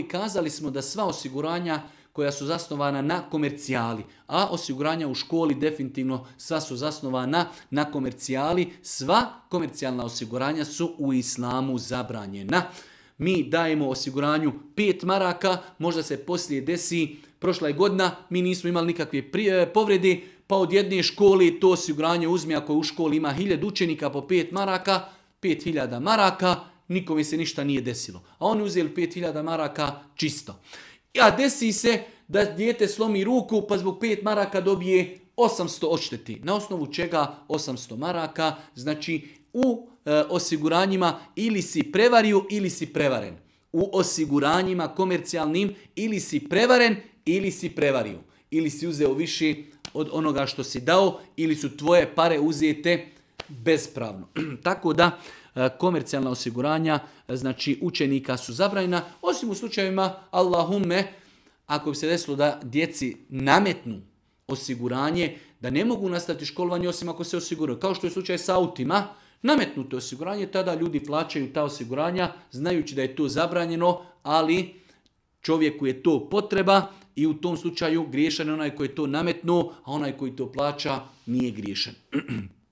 kazali smo da sva osiguranja koja su zasnovana na komercijali, a osiguranja u školi definitivno sva su zasnovana na komercijali, sva komercijalna osiguranja su u islamu zabranjena. Mi dajemo osiguranju 5 maraka, možda se poslije desi, prošla je godina, mi nismo imali nikakve povrede, pa od jedne škole to osiguranje uzme, ako u školi ima 1000 učenika po 5 maraka, 5000 maraka, nikome se ništa nije desilo. A oni uzeli 5000 maraka čisto. A desi se da dijete slomi ruku pa zbog 5 maraka dobije 800 odšteti. Na osnovu čega 800 maraka? Znači u osiguranjima ili si prevario ili si prevaren. U osiguranjima komercijalnim ili si prevaren ili si prevario. Ili si uzeo više od onoga što si dao ili su tvoje pare uzete bespravno. Tako da komercijalna osiguranja, znači učenika su zabranjena, osim u slučajevima Allahumme, ako bi se desilo da djeci nametnu osiguranje, da ne mogu nastaviti školovanje osim ako se osiguraju. Kao što je slučaj sa autima, nametnuto osiguranje, tada ljudi plaćaju ta osiguranja, znajući da je to zabranjeno, ali čovjeku je to potreba i u tom slučaju griješan je onaj koji je to nametnuo, a onaj koji to plaća nije griješan.